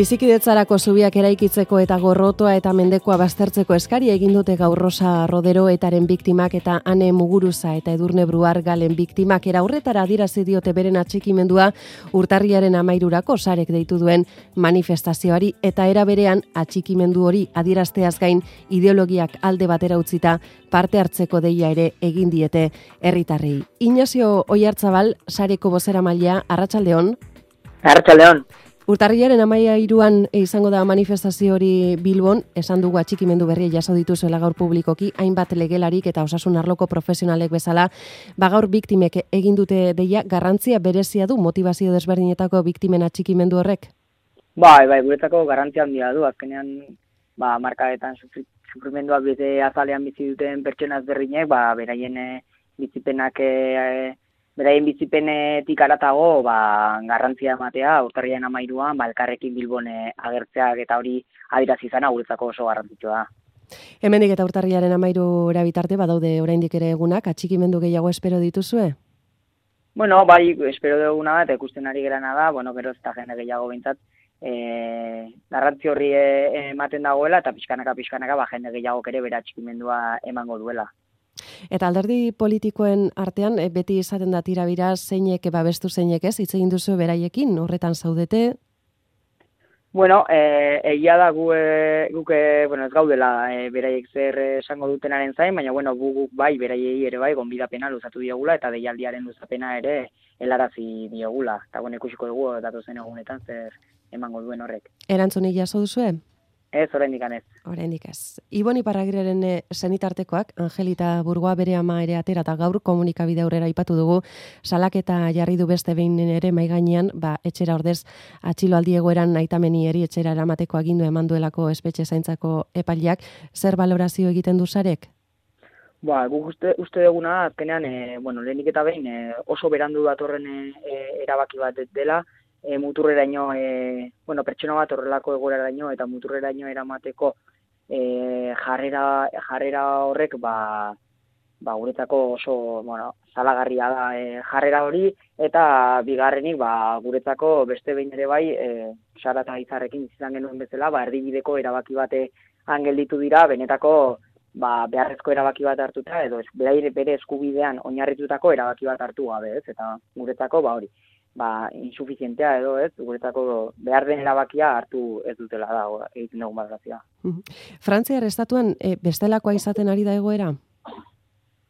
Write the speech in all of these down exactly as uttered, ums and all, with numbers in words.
Bizikidetzarako zubiak eraikitzeko eta gorrotoa eta mendekoa baztertzeko eskari egin dute gaur Rosa Rodero etaren biktimak eta Ane Muguruza eta Edurne Bruar Galen biktimak. Era horretara adierazi diote beren atxikimendua urtarriaren hamairurako sarek deitu duen manifestazioari, eta era berean atxikimendu hori adierazteaz gain ideologiak alde batera utzita parte hartzeko deia ere egin diete herritarrei. Inazio Oiartzabal, sareko bozeramailea, arratsaldeon. Arratsaldeon. Urtarriaren hamahiruan izango da manifestazio hori Bilbon, esan dugu atxikimendu berria jaso dituzuela gaur publikoki, hainbat legelarik eta osasun arloko profesionalek bezala, ba gaur biktimek egin dute deia, garrantzia berezia du motivazio desberdinetako biktimen atxikimendu horrek? Bai, bai, guretako garrantzia handia du, azkenean ba markadetan sufrimendua bete azalean bizi duten pertsona ezberdinek, ba beraien bizipenak e, Beraien bizipenetik aratago, ba, garrantzia ematea, urtarriaren hamairuan, ba, elkarrekin Bilbon agertzeak eta hori adierazi izana guretzako oso garrantzitsua da. Hemendik eta urtarriaren hamairura bitarte, badaude oraindik ere egunak, atxikimendu gehiago espero dituzue? Bueno, bai, espero duguna da, eta ikusten ari gerana da, bueno, gero ez da jende gehiago bintzat, e, garrantzi horri ematen dagoela, eta pixkanaka, pixkanaka, ba, jende gehiago ere bere atxikimendua emango duela. Eta alderdi politikoen artean, beti izaten da tirabira, zeinek babestu zeinek ez, hitz egin duzu beraiekin, horretan zaudete? Bueno, e, egia da gu, e, guk e, bueno, ez gaudela e, beraiek zer esango dutenaren zain, baina bueno, gu, guk bai, beraiei ere bai, gonbidapena luzatu diogula, eta deialdiaren luzapena ere helarazi diogula. Eta bueno, ikusiko dugu datozen egunetan zer emango duen horrek. Erantzunik jaso duzue? Ez, oraindik ez. Oraindik ez. Ibon Iparragirreren senitartekoak, Angelita Burgoa bere ama ere atera eta gaur komunikabide aurrera aipatu dugu, salaketa jarri du beste behin ere mai gainean, ba etxera ordez atxiloaldi egoeran aitameni eri etxera eramateko agindu eman duelako espetxe zaintzako epaileak. Zer balorazio egiten du sarek? Ba, guk uste, uste duguna azkenean, e, bueno, lehenik eta behin e, oso berandu datorren e, erabaki bat dela. E, muturreraino, e, bueno, pertsona bat horrelako egoeraraino eta muturreraino eramateko e, jarrera, jarrera horrek, ba, ba, guretzako oso, bueno, zalagarria da e, jarrera hori, eta bigarrenik, ba, guretzako beste behin ere bai, e, Sara eta Izarrekin izan genuen bezala, ba, erdibideko erabaki bate gelditu dira, benetako, ba, beharrezko erabaki bat hartuta, edo bere, bere eskubidean oinarritutako erabaki bat hartu gabe, ez, eta guretzako, ba, hori. ba, insuficientea edo ez, guretzako behar den erabakia hartu ez dutela da, egiten dugun badrazia. Frantziar estatuan e, bestelakoa izaten ari da egoera?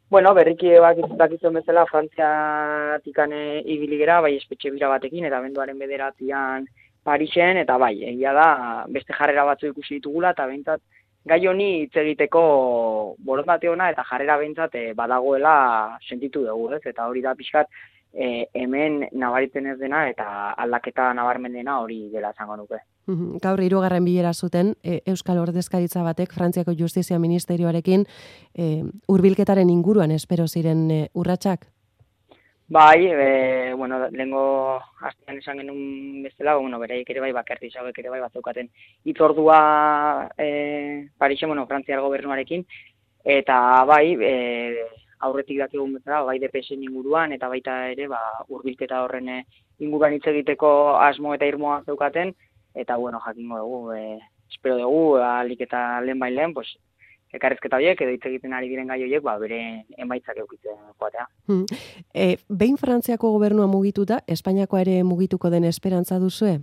Bueno, berriki bakizuen bezala, Frantziatikan ibili gera, bai espetxe bira batekin, eta benduaren bederatzean Parisen, eta bai, egia da, beste jarrera batzu ikusi ditugula, eta behintzat, gai honi hitz egiteko borondate ona, eta jarrera behintzat e, badagoela sentitu dugu, ez, eta hori da pixkat, E, hemen nabaritzen ez dena eta aldaketa nabarmen dena hori dela esango nuke. Gaur hirugarren bilera zuten e, Euskal Ordezkaritza batek Frantziako Justizia Ministerioarekin e, hurbilketaren inguruan espero ziren e, urratsak? Bai, e, bueno, lehengo astean esan genuen bezala, bueno, beraiek ere bai, bakarti zauek ere bai batzeukaten hitzordua e, Parisen, bueno, Frantziar gobernuarekin, eta bai, e, aurretik dakigun bezala, bai D P S inguruan, eta baita ere, ba, hurbilketa horren inguruan hitz egiteko asmo eta irmoa zeukaten, eta, bueno, jakingo dugu, e, espero dugu, alik eta lehen bai lehen, pues, ekarrezketa horiek, edo hitz egiten ari diren gai horiek, ba, bere emaitzak eukitzen joatea. Hmm. E, behin Frantziako gobernua mugituta, Espainiakoa ere mugituko den esperantza duzue?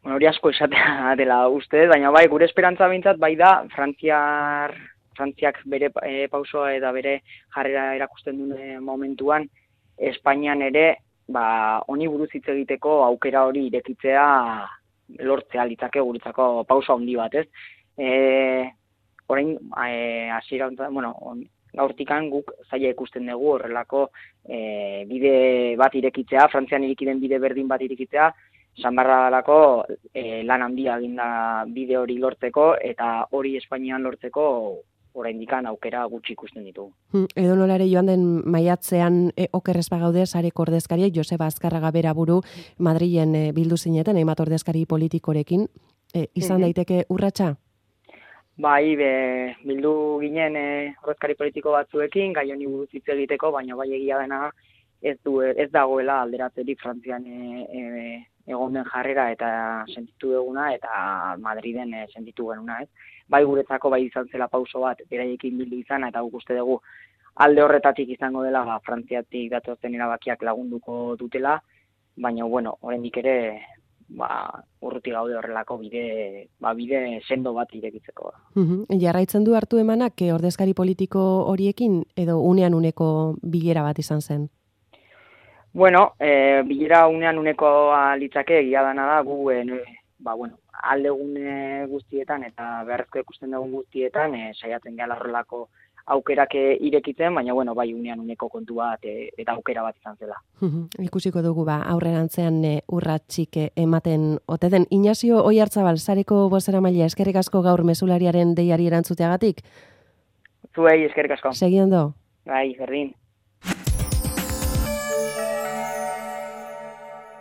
Bueno, hori asko esatea dela uste, baina bai, gure esperantza behintzat, bai da, Frantziar Frantziak bere e, pausoa eta bere jarrera erakusten duen momentuan, Espainian ere, ba, honi buruz hitz egiteko aukera hori irekitzea lortzea litzake guretzako pauso handi bat, ez? E, orain, e, hasiera, bueno, gaurtikan guk zaila ikusten dugu horrelako e, bide bat irekitzea, Frantzian ireki den bide berdin bat irekitzea, Sanbarralako e, lan handia eginda bide hori lortzeko, eta hori Espainian lortzeko oraindikan aukera gutxi ikusten ditugu. Hmm, edo nolare joan den maiatzean e, okerrez bagaude sareko ordezkaria Joseba Azkarraga bera buru Madrilen e, bildu zineten, hainbat ordezkari politikorekin, e, izan daiteke urratsa? Bai, be, bildu ginen e, ordezkari politiko batzuekin, gai honi buruz hitz egiteko, baina bai egia dena ez du ez dagoela alderatzerik Frantzian e, e, egon den jarrera eta sentitu duguna, eta Madriden e, sentitu genuna, ez? Bai guretzako bai izan zela pauso bat, beraiekin bildu izana, eta guk uste dugu alde horretatik izango dela, ba, Frantziatik datozen erabakiak lagunduko dutela, baina, bueno, oraindik ere, ba, urruti gaude horrelako bide, ba, bide sendo bat irekitzeko. Uhum. Jarraitzen du hartu emanak, eh, ordezkari politiko horiekin, edo unean uneko bilera bat izan zen? Bueno, e, bilera unean unekoa litzake, egia dana da, gu, e, ba, bueno, aldegune guztietan eta beharrezko ikusten dugun guztietan, e, saiatzen gehala horrelako aukerak irekitzen, baina, bueno, bai unean uneko kontu bat e, eta aukera bat izan zela. Uhum. Ikusiko dugu, ba, aurrerantzean e, urratxik e, ematen ote den. Inazio Oiartzabal, sareko bozeramailea, eskerrik asko gaur mesulariaren deiari erantzuteagatik? Zuei, eskerrik asko. Segi ondo? Bai, berdin.